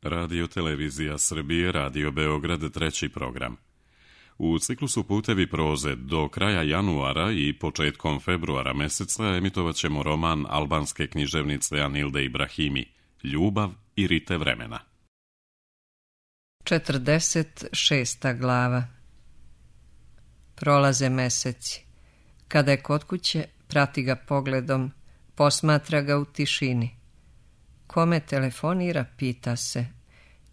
Radio Televizija Srbije, Radio Beograd, treći program. U ciklusu Putevi proze do kraja januara i početkom februara meseca emitovat ćemo roman albanske književnice Anilde Ibrahimi, Ljubav i rite vremena. 46. glava. Prolaze meseci. Kada je kod kuće, prati ga pogledom, posmatra ga u tišini. Kome telefonira, pita se.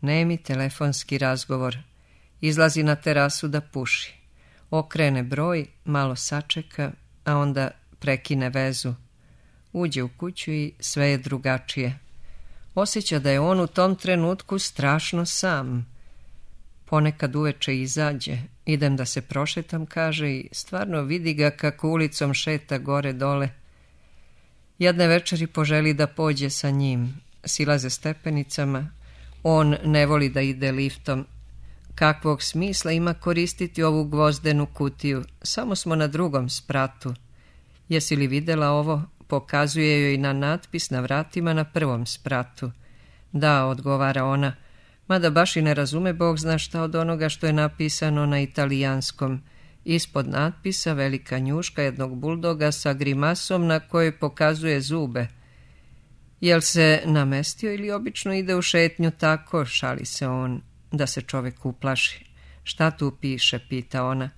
Nemi telefonski razgovor. Izlazi na terasu da puši. Okrene broj, malo sačeka, a onda prekine vezu. Uđe u kuću i sve je drugačije. Osjeća da je on u tom trenutku strašno sam. Ponekad uveče izađe. Idem da se prošetam, kaže, i stvarno vidi ga kako ulicom šeta gore dole. Jedne večeri poželi da pođe sa njim. Silaze stepenicama. On ne voli da ide liftom. Kakvog smisla ima koristiti ovu gvozdenu kutiju? Samo smo na drugom spratu. Jesi li videla ovo? Pokazuje joj na natpis na vratima na prvom spratu. Da, odgovara ona, mada baš i ne razume Bog zna šta od onoga što je napisano na italijanskom. Ispod natpisa velika njuška jednog buldoga sa grimasom na kojoj pokazuje zube. Jel se namestio ili obično ide u šetnju tako, šali se on, da se čovek uplaši. Šta tu piše, pita ona.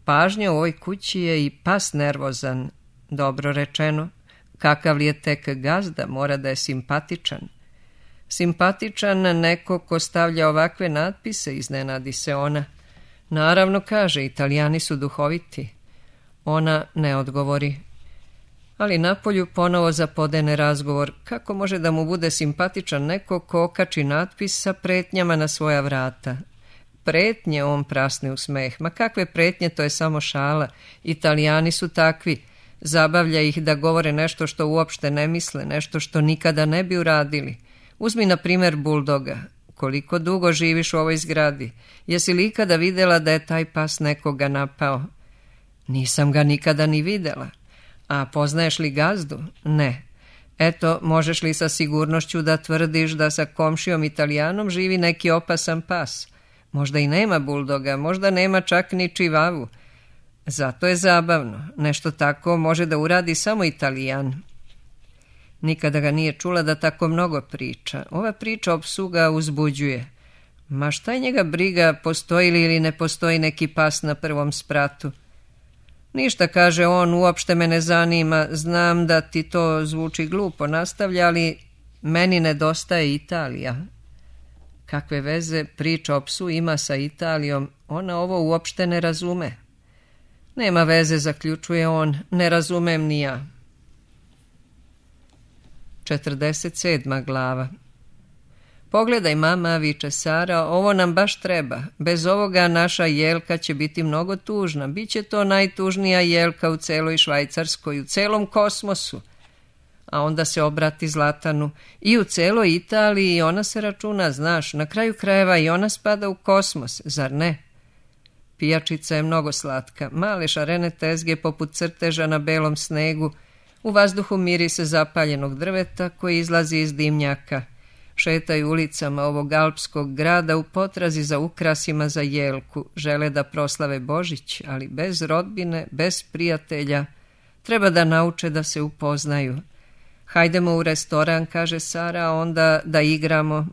Pažnja u ovoj kući je i pas nervozan. Dobro rečeno. Kakav li je tek gazda, mora da je simpatičan. Simpatičan neko ko stavlja ovakve natpise, iznenadi se ona. Naravno, kaže, Italijani su duhoviti. Ona ne odgovori. Ali napolju ponovo zapodene razgovor. Kako može da mu bude simpatičan neko ko okači natpis sa pretnjama na svoja vrata? Pretnje, on prasne u smeh. Ma kakve pretnje, to je samo šala. Italijani su takvi. Zabavlja ih da govore nešto što uopšte ne misle, nešto što nikada ne bi uradili. Uzmi na primjer buldoga. Koliko dugo živiš u ovoj zgradi? Jesi li ikada vidjela da je taj pas nekoga napao? Nisam ga nikada ni vidjela. A poznaješ li gazdu? Ne. Eto, možeš li sa sigurnošću da tvrdiš da sa komšijom Italijanom živi neki opasan pas? Možda i nema buldoga, možda nema čak ni čivavu. Zato je zabavno. Nešto tako može da uradi samo Italijan. Nikada ga nije čula da tako mnogo priča. Ova priča o psu ga uzbuđuje. Ma šta je njega briga, postoji li ili ne postoji neki pas na prvom spratu? Ništa, kaže on, uopšte me ne zanima, znam da ti to zvuči glupo, nastavlja, ali meni nedostaje Italija. Kakve veze priča o psu ima sa Italijom, ona ovo uopšte ne razume. Nema veze, zaključuje on, ne razumem ni ja. 47. glava. Pogledaj, mama, viče Sara, ovo nam baš treba. Bez ovoga naša Jelka će biti mnogo tužna. Biće to najtužnija Jelka u celoj Švajcarskoj, u celom kosmosu. A onda se obrati Zlatanu. I u celoj Italiji ona se računa, znaš, na kraju krajeva i ona spada u kosmos, zar ne? Pijačica je mnogo slatka. Male šarene tezge poput crteža na belom snegu. U vazduhu mirise zapaljenog drveta koji izlazi iz dimnjaka. Šetaju ulicama ovog alpskog grada u potrazi za ukrasima za Jelku. Žele da proslave Božić, ali bez rodbine, bez prijatelja. Treba da nauče da se upoznaju. Hajdemo u restoran, kaže Sara, a onda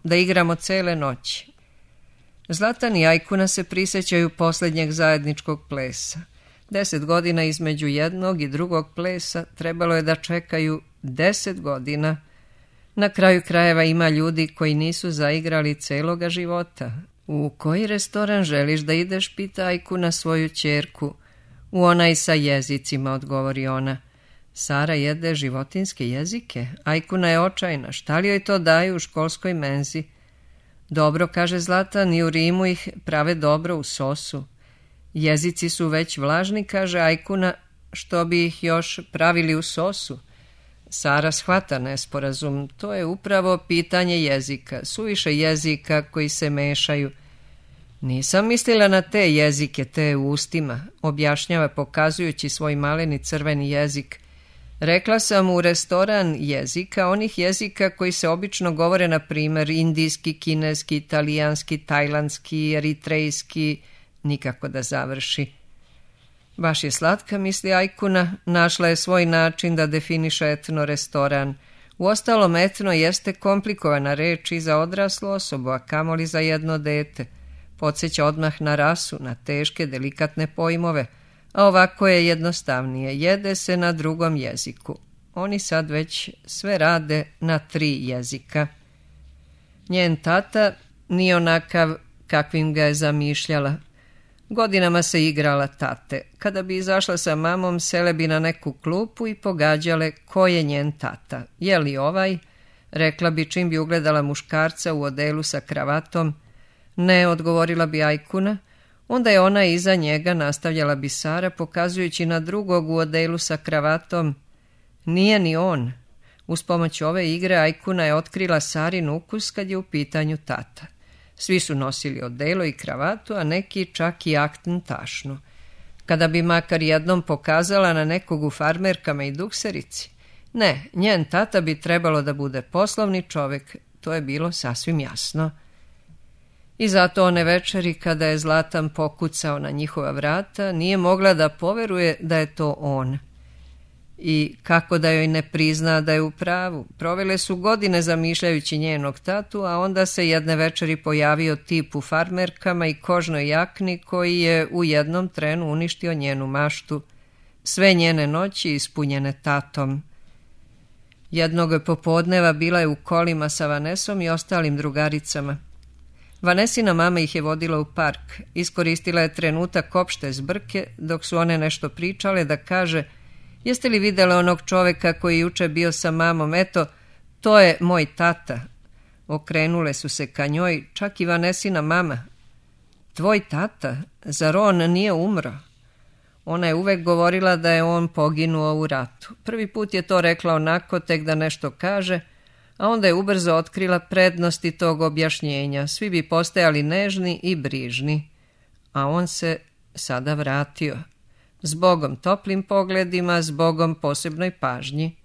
da igramo cele noći. Zlatan i Ajkuna se prisjećaju posljednjeg zajedničkog plesa. 10 godina između jednog i drugog plesa trebalo je da čekaju 10 godina. Na kraju krajeva ima ljudi koji nisu zaigrali celoga života. U koji restoran želiš da ideš, pita Ajkuna svoju ćerku. U onaj sa jezicima, odgovori ona. Sara jede životinske jezike. Ajkuna je očajna. Šta li joj to daju u školskoj menzi? Dobro, kaže Zlatan, i u Rimu ih prave dobro u sosu. Jezici su već vlažni, kaže Ajkuna, što bi ih još pravili u sosu. Sara shvata nesporazum. To je upravo pitanje jezika. Suviše jezika koji se mešaju. Nisam mislila na te jezike, te u ustima, objašnjava pokazujući svoj maleni crveni jezik. Rekla sam u restoran jezika, onih jezika koji se obično govore, na primjer indijski, kineski, italijanski, tajlandski, eritrejski, nikako da završi. Baš je slatka, misli Ajkuna, našla je svoj način da definiše etno restoran. Uostalom, etno jeste komplikovana reč i za odraslu osobu, a kamoli za jedno dete. Podsjeća odmah na rasu, na teške, delikatne pojmove, a ovako je jednostavnije, jede se na drugom jeziku. Oni sad već sve rade na 3 jezika. Njen tata nije onakav kakvim ga je zamišljala. Godinama se igrala tate. Kada bi izašla sa mamom, sele bi na neku klupu i pogađale ko je njen tata. Je li ovaj? Rekla bi čim bi ugledala muškarca u odelu sa kravatom. Ne, odgovorila bi Ajkuna. Onda je ona iza njega, nastavljala bi Sara, pokazujući na drugog u odelu sa kravatom. Nije ni on. Uz pomoć ove igre Ajkuna je otkrila Sarin ukus kad je u pitanju tata. Svi su nosili odelo i kravatu, a neki čak i aktn tašnu. Kada bi makar jednom pokazala na nekog u farmerkama i dukserici. Ne, njen tata bi trebalo da bude poslovni čovjek, to je bilo sasvim jasno. I zato one večeri kada je Zlatan pokucao na njihova vrata, nije mogla da poveruje da je to on. I kako da joj ne prizna da je u pravu. Provele su godine zamišljajući njenog tatu, a onda se jedne večeri pojavio tip u farmerkama i kožnoj jakni koji je u jednom trenu uništio njenu maštu, sve njene noći ispunjene tatom. Jednog popodneva bila je u kolima sa Vanesom i ostalim drugaricama. Vanesina mama ih je vodila u park. Iskoristila je trenutak opšte zbrke dok su one nešto pričale da kaže: jeste li vidjeli onog čoveka koji juče bio sa mamom? Eto, to je moj tata. Okrenule su se ka njoj, čak i Vanesina mama. Tvoj tata? Zar on nije umro? Ona je uvek govorila da je on poginuo u ratu. Prvi put je to rekla onako, tek da nešto kaže, a onda je ubrzo otkrila prednosti tog objašnjenja. Svi bi postajali nežni i brižni. A on se sada vratio. Zbogom toplim pogledima, zbogom posebnoj pažnji.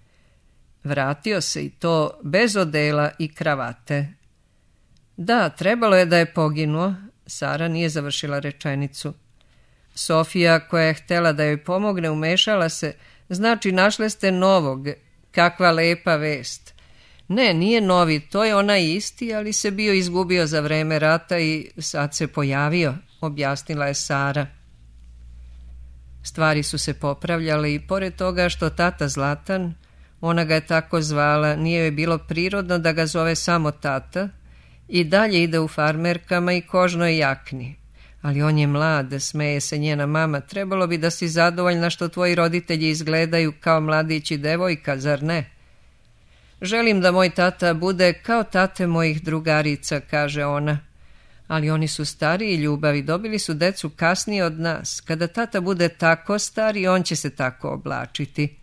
Vratio se i to bez odela i kravate. Da, trebalo je da je poginuo. Sara nije završila rečenicu. Sofija, koja je htjela da joj pomogne, umešala se. Znači, našle ste novog. Kakva lepa vest. Ne, nije novi, to je onaj isti, ali se bio izgubio za vreme rata i sad se pojavio, objasnila je Sara. Stvari su se popravljale i pored toga što tata Zlatan, ona ga je tako zvala, nije joj bilo prirodno da ga zove samo tata, i dalje ide u farmerkama i kožnoj jakni. Ali on je mlad, smeje se njena mama, trebalo bi da si zadovoljna što tvoji roditelji izgledaju kao mladić i devojka, zar ne? Želim da moj tata bude kao tate mojih drugarica, kaže ona. Ali oni su stariji ljubavi, dobili su decu kasnije od nas. Kada tata bude tako star, i on će se tako oblačiti.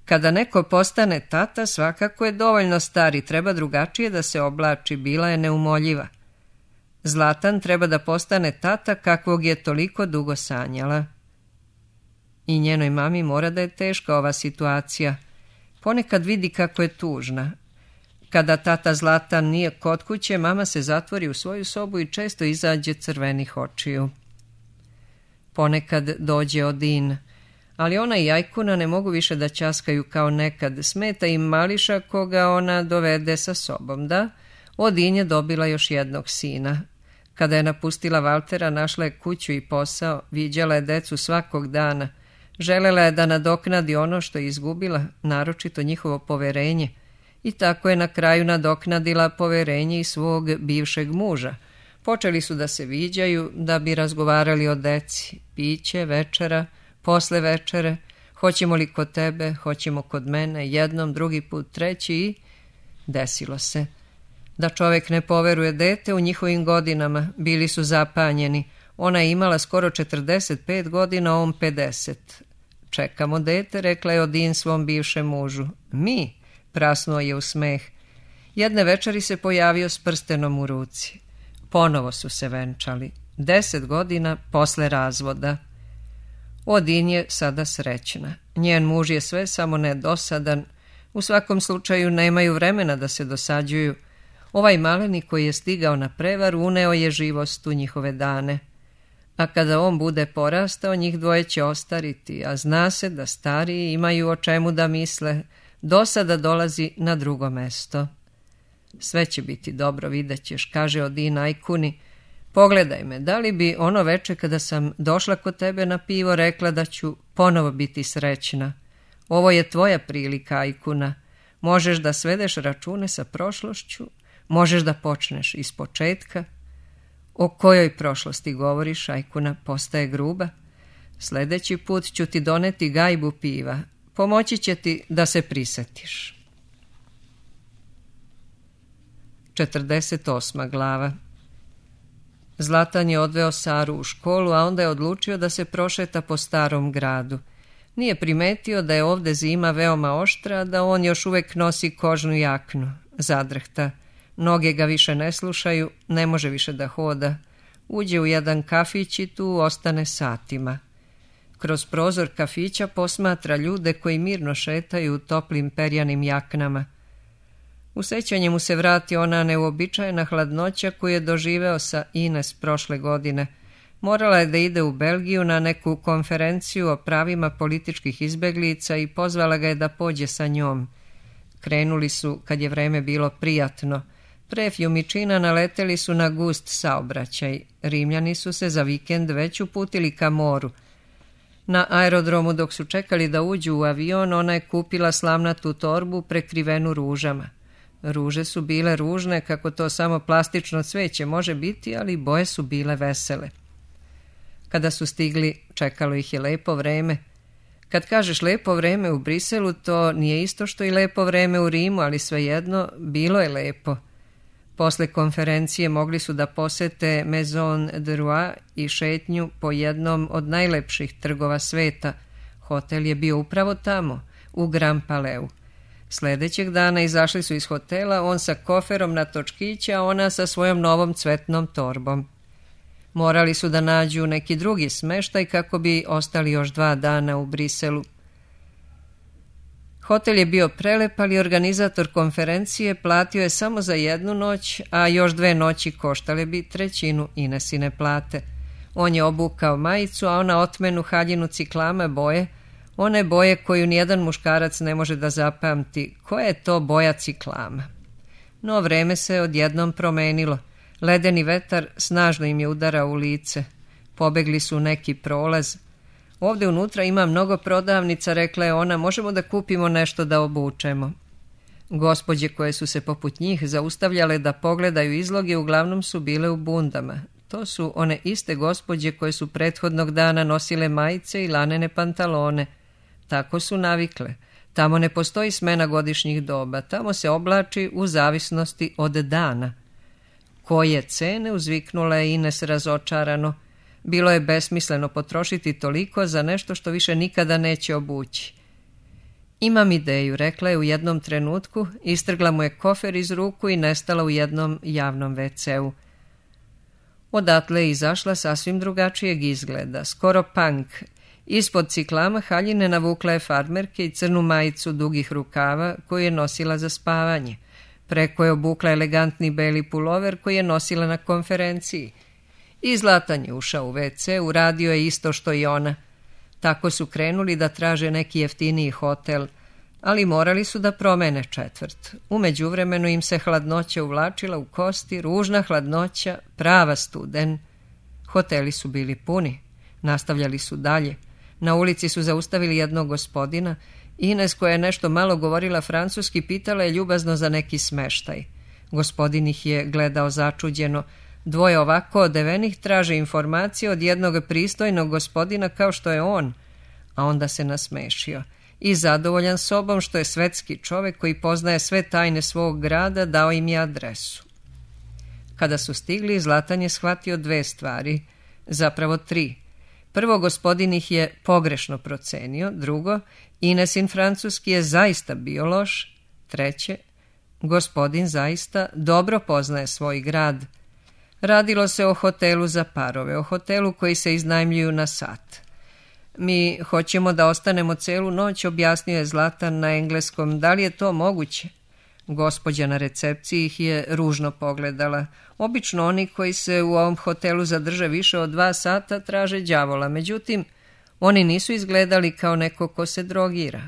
Kada neko postane tata, svakako je dovoljno star i treba drugačije da se oblači, bila je neumoljiva. Zlatan treba da postane tata kakvog je toliko dugo sanjala. I njenoj mami mora da je teška ova situacija. Ponekad vidi kako je tužna. Kada tata Zlatan nije kod kuće, mama se zatvori u svoju sobu i često izađe crvenih očiju. Ponekad dođe Odin, ali ona i Ajkuna ne mogu više da ćaskaju kao nekad. Smeta im Mališa koga ona dovede sa sobom. Da, Odin je dobila još jednog sina. Kada je napustila Valtera, našla je kuću i posao, viđala je decu svakog dana. Želela je da nadoknadi ono što je izgubila, naročito njihovo poverenje. I tako je na kraju nadoknadila poverenje i svog bivšeg muža. Počeli su da se viđaju, da bi razgovarali o deci, piće, večera, posle večere, hoćemo li kod tebe, hoćemo kod mene, jednom, drugi put, treći i desilo se. Da čovjek ne poveruje dete u njihovim godinama, bili su zapanjeni. Ona je imala skoro 45 godina, on 50. Čekamo dete, rekla je Odin svom bivšem mužu. Mi? Prasnuo je u smeh. Jedne večeri se pojavio s prstenom u ruci. Ponovo su se venčali. 10 godina posle razvoda. Odin je sada srećna. Njen muž je sve samo ne dosadan. U svakom slučaju nemaju vremena da se dosađuju. Ovaj maleni koji je stigao na prevaru uneo je živost u njihove dane. A kada on bude porastao, njih dvoje će ostariti, a zna se da stariji imaju o čemu da misle. Dosada dolazi na drugo mesto. Sve će biti dobro, vidjet ćeš, kaže Odin Ajkuni. Pogledaj me, da li bi ono veče kada sam došla kod tebe na pivo rekla da ću ponovo biti srećna? Ovo je tvoja prilika, Ajkuna. Možeš da svedeš račune sa prošlošću, možeš da počneš iz početka. O kojoj prošlosti govoriš, Ajkuna postaje gruba? Sljedeći put ću ti doneti gajbu piva. Pomoći će ti da se prisetiš. 48. glava. Zlatan je odveo Saru u školu, a onda je odlučio da se prošeta po starom gradu. Nije primetio da je ovde zima veoma oštra, da on još uvek nosi kožnu jaknu. Zadrhta. Noge ga više ne slušaju, ne može više da hoda. Uđe u jedan kafić i tu ostane satima. Kroz prozor kafića posmatra ljude koji mirno šetaju u toplim perjanim jaknama. U sećanje mu se vrati ona neuobičajena hladnoća koju je doživeo sa Ines prošle godine. Morala je da ide u Belgiju na neku konferenciju o pravima političkih izbeglica i pozvala ga je da pođe sa njom. Krenuli su kad je vreme bilo prijatno. Pre Fjumičina naleteli su na gust saobraćaj. Rimljani su se za vikend već uputili ka moru. Na aerodromu dok su čekali da uđu u avion, ona je kupila slamnatu torbu prekrivenu ružama. Ruže su bile ružne, kako to samo plastično cveće može biti, ali boje su bile vesele. Kada su stigli, čekalo ih je lepo vreme. Kad kažeš lepo vreme u Briselu, to nije isto što i lepo vreme u Rimu, ali svejedno, bilo je lepo. Posle konferencije mogli su da posete Maison de Roi i šetnju po jednom od najlepših trgova sveta. Hotel je bio upravo tamo, u Grand Palais. Sljedećeg dana izašli su iz hotela, on sa koferom na točkiće, a ona sa svojom novom cvetnom torbom. Morali su da nađu neki drugi smeštaj kako bi ostali još 2 dana u Briselu. Hotel je bio prelep, ali organizator konferencije platio je samo za 1 noć, a još 2 noći koštale bi 1/3 Inesine plate. On je obukao majicu, a ona otmenu haljinu ciklama boje, one boje koju nijedan muškarac ne može da zapamti. Koja je to boja ciklama? No vreme se odjednom promenilo. Ledeni vetar snažno im je udarao u lice. Pobegli su u neki prolaz. Ovde unutra ima mnogo prodavnica, rekla je ona, možemo da kupimo nešto da obučemo. Gospođe koje su se poput njih zaustavljale da pogledaju izloge uglavnom su bile u bundama. To su one iste gospođe koje su prethodnog dana nosile majice i lanene pantalone. Tako su navikle. Tamo ne postoji smena godišnjih doba. Tamo se oblači u zavisnosti od dana. Koje cene, uzviknula je Ines razočarano. Bilo je besmisleno potrošiti toliko za nešto što više nikada neće obući. Imam ideju, rekla je u jednom trenutku, istrgla mu je kofer iz ruku i nestala u jednom javnom WC-u. Odatle je izašla sasvim drugačijeg izgleda, skoro punk. Ispod ciklama haljine navukla je farmerke i crnu majicu dugih rukava koju je nosila za spavanje. Preko je obukla elegantni beli pulover koji je nosila na konferenciji. I Zlatan je ušao u WC, uradio je isto što i ona. Tako su krenuli da traže neki jeftiniji hotel, ali morali su da promene četvrt. U međuvremenu im se hladnoća uvlačila u kosti, ružna hladnoća, prava studen. Hoteli su bili puni. Nastavljali su dalje. Na ulici su zaustavili jednog gospodina. Ines, koja je nešto malo govorila francuski, pitala je ljubazno za neki smeštaj. Gospodin ih je gledao začuđeno. 2 ovako odevenih traže informacije od jednog pristojnog gospodina kao što je on. A onda se nasmešio. I zadovoljan sobom što je svetski čovek koji poznaje sve tajne svog grada, dao im je adresu. Kada su stigli, Zlatan je shvatio 2 stvari, zapravo 3. Prvo, gospodin ih je pogrešno procenio. Drugo, Inesin francuski je zaista bio loš. Treće, gospodin zaista dobro poznaje svoj grad. Radilo se o hotelu za parove, o hotelu koji se iznajmljuju na sat. mi hoćemo da ostanemo celu noć, objasnio je Zlatan na engleskom. Da li je to moguće? Gospođa na recepciji ih je ružno pogledala. Obično oni koji se u ovom hotelu zadrže više od 2 sata traže đavola, međutim, oni nisu izgledali kao neko ko se drogira.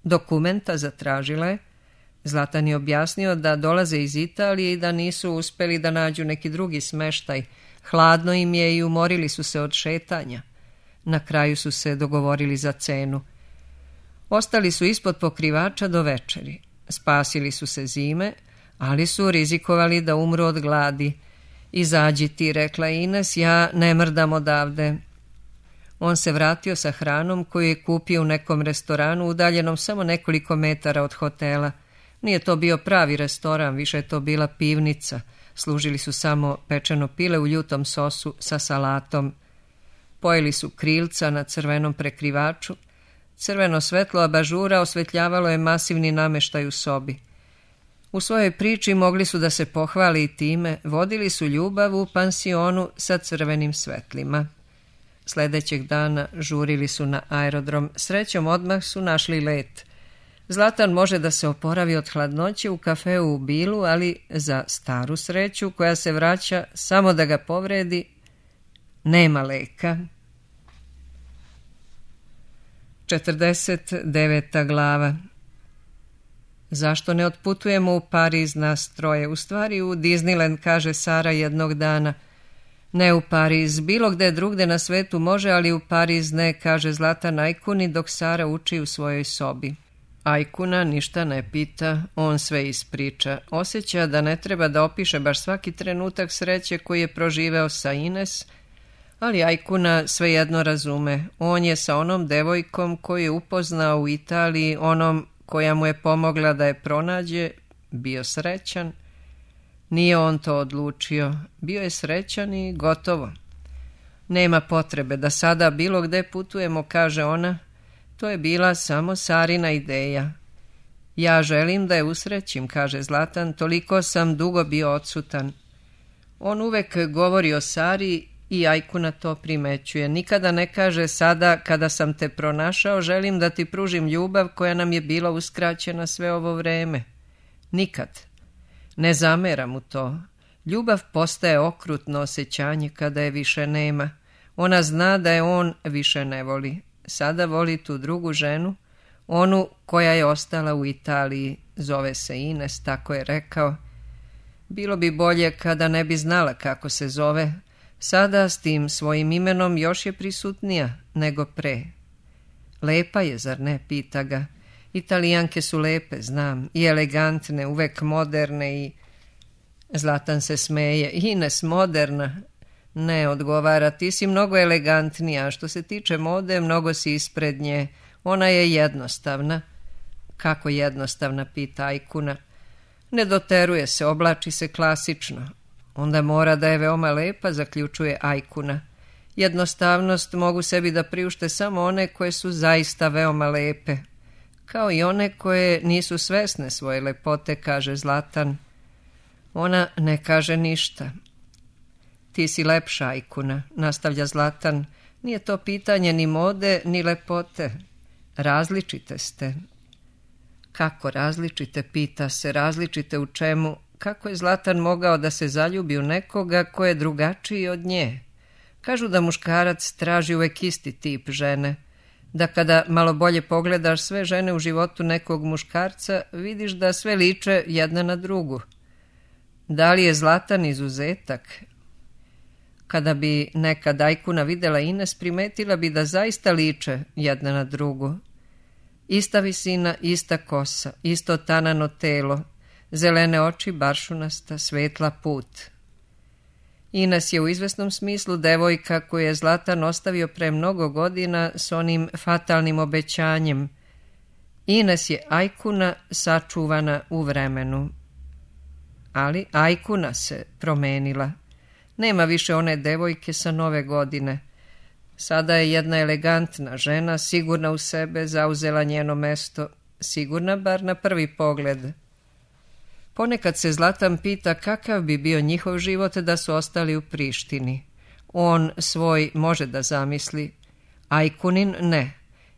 Dokumenta zatražila je. Zlatan je objasnio da dolaze iz Italije i da nisu uspeli da nađu neki drugi smeštaj. Hladno im je i umorili su se od šetanja. Na kraju su se dogovorili za cenu. Ostali su ispod pokrivača do večeri. Spasili su se zime, ali su rizikovali da umru od gladi. Izađi ti, rekla Ines, ja ne mrdam odavde. On se vratio sa hranom koju je kupio u nekom restoranu udaljenom samo nekoliko metara od hotela. Nije to bio pravi restoran, više je to bila pivnica. Služili su samo pečeno pile u ljutom sosu sa salatom. Pojeli su krilca na crvenom prekrivaču. Crveno svetlo abažura osvetljavalo je masivni nameštaj u sobi. U svojoj priči mogli su da se pohvali i time, vodili su ljubav u pansionu sa crvenim svetlima. Sljedećeg dana žurili su na aerodrom. Srećom odmah su našli let. Zlatan može da se oporavi od hladnoće u kafeu u Bilu, ali za staru sreću koja se vraća samo da ga povredi, nema leka. 49. glava. Zašto ne otputujemo u Pariz nas troje? U stvari u Disneyland, kaže Sara jednog dana. Ne u Pariz, bilo gde drugde na svetu može, ali u Pariz ne, kaže Zlatan Ajkuni dok Sara uči u svojoj sobi. Ajkuna ništa ne pita, on sve ispriča. Osjeća da ne treba da opiše baš svaki trenutak sreće koji je proživeo sa Ines, ali Ajkuna svejedno razume. On je sa onom devojkom koju je upoznao u Italiji, onom koja mu je pomogla da je pronađe, bio srećan. Nije on to odlučio, bio je srećan i gotovo. Nema potrebe da sada bilo gde putujemo, kaže ona. To je bila samo Sarina ideja. Ja želim da je usrećim, kaže Zlatan, toliko sam dugo bio odsutan. On uvek govori o Sari i Ajkuna to primećuje. Nikada ne kaže sada kada sam te pronašao želim da ti pružim ljubav koja nam je bila uskraćena sve ovo vreme. Nikad. Ne zamera mu to. Ljubav postaje okrutno osjećanje kada je više nema. Ona zna da je on više ne voli. Sada voli tu drugu ženu, onu koja je ostala u Italiji, zove se Ines, tako je rekao. Bilo bi bolje kada ne bi znala kako se zove. Sada s tim svojim imenom još je prisutnija nego pre. Lepa je, zar ne, pita ga. Italijanke su lepe, znam, i elegantne, uvek moderne i... Zlatan se smeje. Ines, moderna? Ne, odgovara, ti si mnogo elegantnija, a što se tiče mode, mnogo si ispred nje. Ona je jednostavna. Kako jednostavna, pita Ajkuna. Ne doteruje se, oblači se klasično. Onda mora da je veoma lepa, zaključuje Ajkuna. Jednostavnost mogu sebi da priušte samo one koje su zaista veoma lepe. Kao i one koje nisu svesne svoje lepote, kaže Zlatan. Ona ne kaže ništa. Ti si lepša, Ajkuna, nastavlja Zlatan. Nije to pitanje ni mode, ni lepote. Različite ste. Kako različite, pita se, različite u čemu? Kako je Zlatan mogao da se zaljubi u nekoga ko je drugačiji od nje? Kažu da muškarac traži uvek isti tip žene. Da kada malo bolje pogledaš sve žene u životu nekog muškarca, vidiš da sve liče jedna na drugu. Da li je Zlatan izuzetak? Kada bi nekad Ajkuna videla Ines, primetila bi da zaista liče jedna na drugu. Ista visina, ista kosa, isto tanano telo, zelene oči, baršunasta, svetla put. Ines je u izvesnom smislu devojka koju je Zlatan ostavio pre mnogo godina s onim fatalnim obećanjem. Ines je Ajkuna sačuvana u vremenu. Ali Ajkuna se promenila. Nema više one devojke sa Nove godine. Sada je jedna elegantna žena, sigurna u sebe, zauzela njeno mesto. Sigurna bar na prvi pogled. Ponekad se Zlatan pita kakav bi bio njihov život da su ostali u Prištini. On svoj može da zamisli. Ajkunin ne,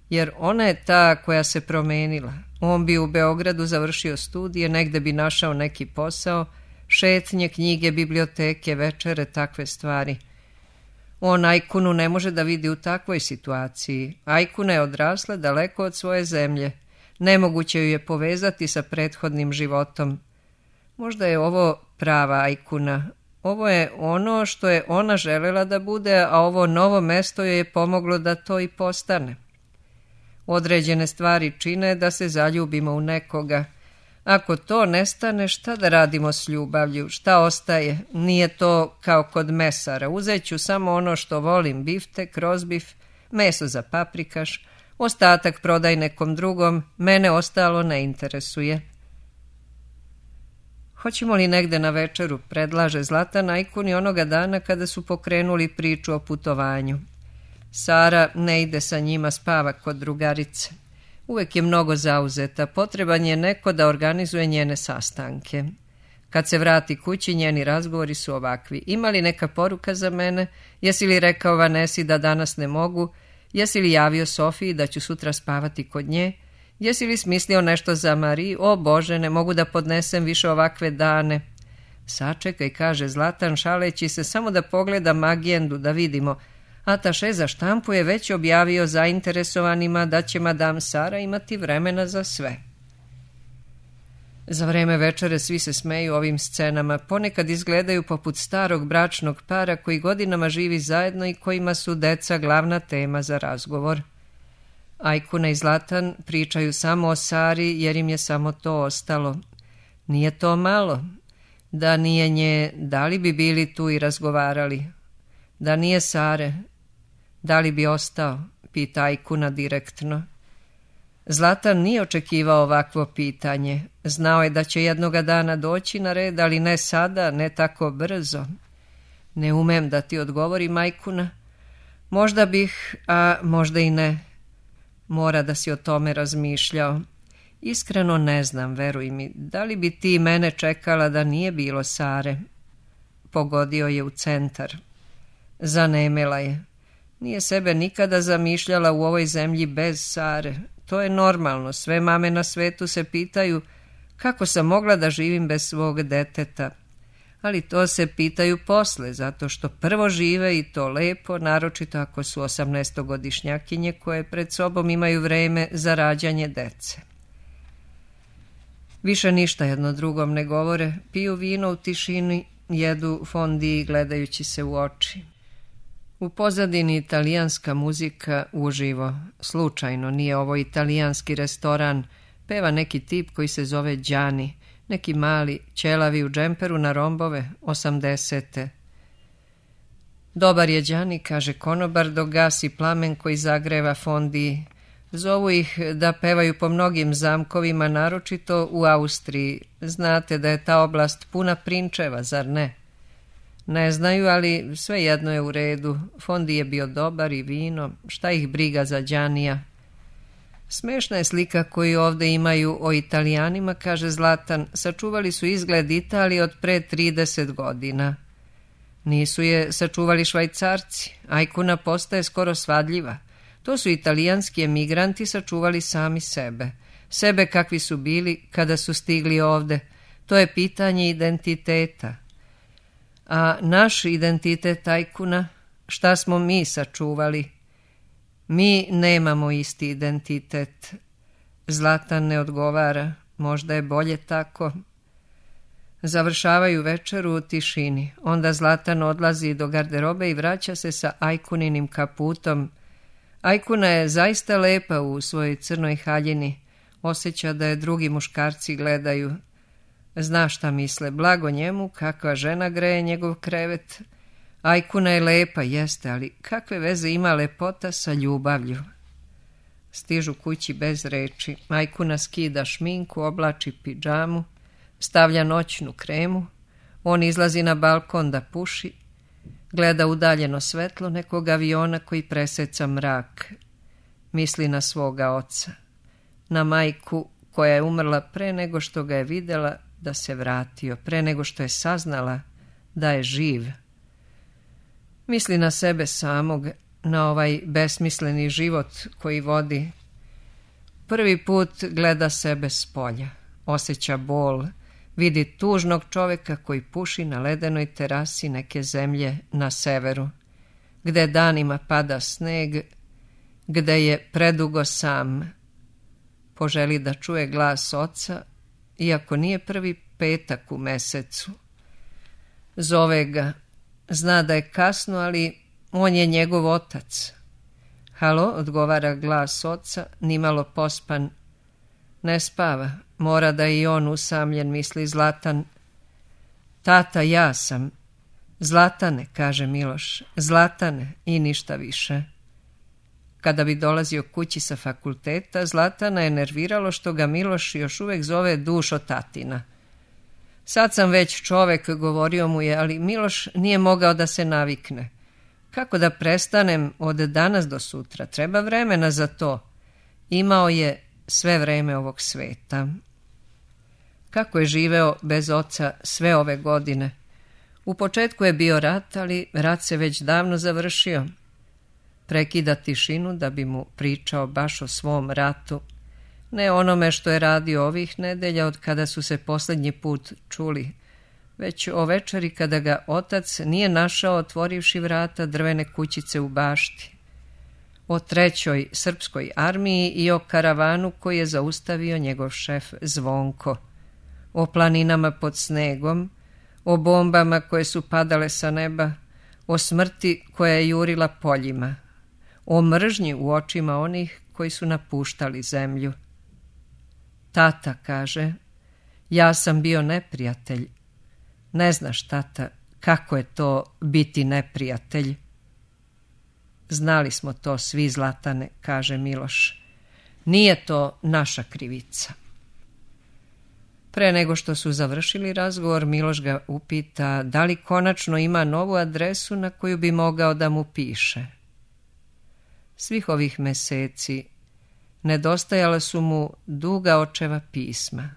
jer ona je ta koja se promenila. On bi u Beogradu završio studije, negde bi našao neki posao, šetnje, knjige, biblioteke, večere, takve stvari. On Ajkunu ne može da vidi u takvoj situaciji. Ajkuna je odrasla daleko od svoje zemlje. Nemoguće ju je povezati sa prethodnim životom. Možda je ovo prava Ajkuna. Ovo je ono što je ona želela da bude, a ovo novo mesto joj je pomoglo da to i postane. Određene stvari čine da se zaljubimo u nekoga. Ako to nestane, šta da radimo s ljubavlju? Šta ostaje? Nije to kao kod mesara. Uzet ću samo ono što volim, biftek, rozbif, meso za paprikaš, ostatak prodaj nekom drugom, mene ostalo ne interesuje. Hoćemo li negde na večeru, predlaže Zlatan Ajkuni onoga dana kada su pokrenuli priču o putovanju. Sara ne ide sa njima, spava kod drugarice. Uvek je mnogo zauzeta, potreban je neko da organizuje njene sastanke. Kad se vrati kući, njeni razgovori su ovakvi. Ima li neka poruka za mene? Jesi li rekao Vanesi da danas ne mogu? Jesi li javio Sofiji da ću sutra spavati kod nje? Jesi li smislio nešto za Mariju? O Bože, ne mogu da podnesem više ovakve dane. Sačekaj, kaže Zlatan, šaleći se, samo da pogledam agendu, da vidimo. Ataše za štampu je već objavio zainteresovanima da će madam Sara imati vremena za sve. Za vreme večere svi se smeju ovim scenama, ponekad izgledaju poput starog bračnog para koji godinama živi zajedno i kojima su deca glavna tema za razgovor. Ajkuna i Zlatan pričaju samo o Sari jer im je samo to ostalo. Nije to malo. Da nije nje, da li bi bili tu i razgovarali? Da nije Sare, da li bi ostao? Pita Ajkuna direktno. Zlatan nije očekivao ovakvo pitanje. Znao je da će jednoga dana doći na red, ali ne sada, ne tako brzo. Ne umem da ti odgovorim, Ajkuna. Možda bih, a možda i ne. Mora da si o tome razmišljao. Iskreno ne znam, veruj mi, da li bi ti mene čekala da nije bilo Sare? Pogodio je u centar. Zanemela je. Nije sebe nikada zamišljala u ovoj zemlji bez Sare. To je normalno, sve mame na svetu se pitaju kako sam mogla da živim bez svog deteta. Ali to se pitaju posle, zato što prvo žive i to lepo, naročito ako su 18-godišnjakinje koje pred sobom imaju vreme za rađanje dece. Više ništa jedno drugom ne govore, piju vino u tišini, jedu fondiji gledajući se u oči. U pozadini italijanska muzika uživo. Slučajno, nije ovo italijanski restoran, peva neki tip koji se zove Đani, neki mali, ćelavi u džemperu na rombove, 80. Dobar je Đani, kaže konobar, dok gasi plamen koji zagreva fondiji. Zovu ih da pevaju po mnogim zamkovima, naročito u Austriji. Znate da je ta oblast puna prinčeva, zar ne? Ne znaju, ali svejedno je u redu. Fondi je bio dobar i vino, šta ih briga za Đanija. Smešna je slika koju ovde imaju o Italijanima, kaže Zlatan. Sačuvali su izgled Italije od pre 30 godina. Nisu je sačuvali Švajcarci. Ajkuna postaje skoro svadljiva. To su italijanski emigranti sačuvali sami sebe. Sebe kakvi su bili kada su stigli ovde. To je pitanje identiteta. A naš identitet Ajkuna, šta smo mi sačuvali? Mi nemamo isti identitet. Zlatan ne odgovara, možda je bolje tako. Završavaju večeru u tišini. Onda Zlatan odlazi do garderobe i vraća se sa Ajkuninim kaputom. Ajkuna je zaista lepa u svojoj crnoj haljini. Osjeća da je drugi muškarci gledaju. Zna šta misle, blago njemu, kakva žena greje njegov krevet. Ajkuna je lepa, jeste, ali kakve veze ima lepota sa ljubavlju? Stižu kući bez reči. Ajkuna skida šminku, oblači pidžamu, stavlja noćnu kremu. On izlazi na balkon da puši. Gleda udaljeno svetlo nekog aviona koji preseca mrak. Misli na svoga oca. Na majku koja je umrla pre nego što ga je videla da se vratio, pre nego što je saznala da je živ. Misli na sebe samog, na ovaj besmisleni život koji vodi. Prvi put gleda sebe s polja, osjeća bol, vidi tužnog čoveka koji puši na ledenoj terasi neke zemlje na severu, gde danima pada sneg, gde je predugo sam. Poželi da čuje glas oca, iako nije prvi petak u mesecu. Zove ga, zna da je kasno, ali on je njegov otac. Halo, odgovara glas oca, nimalo pospan. Ne spava, mora da je i on usamljen, misli Zlatan. Tata, ja sam. Zlatane, kaže Miloš, Zlatane i ništa više. Kada bi dolazio kući sa fakulteta, Zlatana je nerviralo što ga Miloš još uvek zove dušo tatina. Sad sam već čovek, govorio mu je, ali Miloš nije mogao da se navikne. Kako da prestanem od danas do sutra? Treba vremena za to. Imao je sve vreme ovog sveta. Kako je živeo bez oca sve ove godine? U početku je bio rat, ali rat se već davno završio. Prekida tišinu da bi mu pričao baš o svom ratu, ne onome što je radio ovih nedelja od kada su se posljednji put čuli, već o večeri kada ga otac nije našao otvorivši vrata drvene kućice u bašti, o 3. srpskoj armiji i o karavanu koji je zaustavio njegov šef Zvonko, o planinama pod snegom, o bombama koje su padale sa neba, o smrti koja je jurila poljima, o mržnji u očima onih koji su napuštali zemlju. Tata, kaže, ja sam bio neprijatelj. Ne znaš, tata, kako je to biti neprijatelj. Znali smo to svi, Zlatane, kaže Miloš. Nije to naša krivica. Pre nego što su završili razgovor, Miloš ga upita da li konačno ima novu adresu na koju bi mogao da mu piše. Svih ovih meseci nedostajala su mu duga očeva pisma.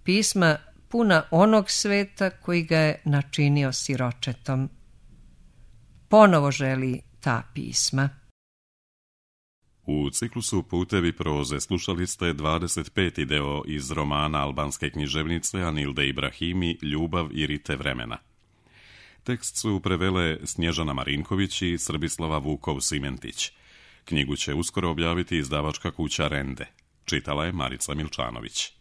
Pisma puna onog sveta koji ga je načinio siročetom. Ponovo želi ta pisma. U ciklusu Putevi proze slušali ste 25. deo iz romana albanske književnice Anilde Ibrahimi Ljubav i rite vremena. Tekst su prevele Snježana Marinković i Srbislava Vukov-Simentić. Knjigu će uskoro objaviti izdavačka kuća Rende. Čitala je Marica Milčanović.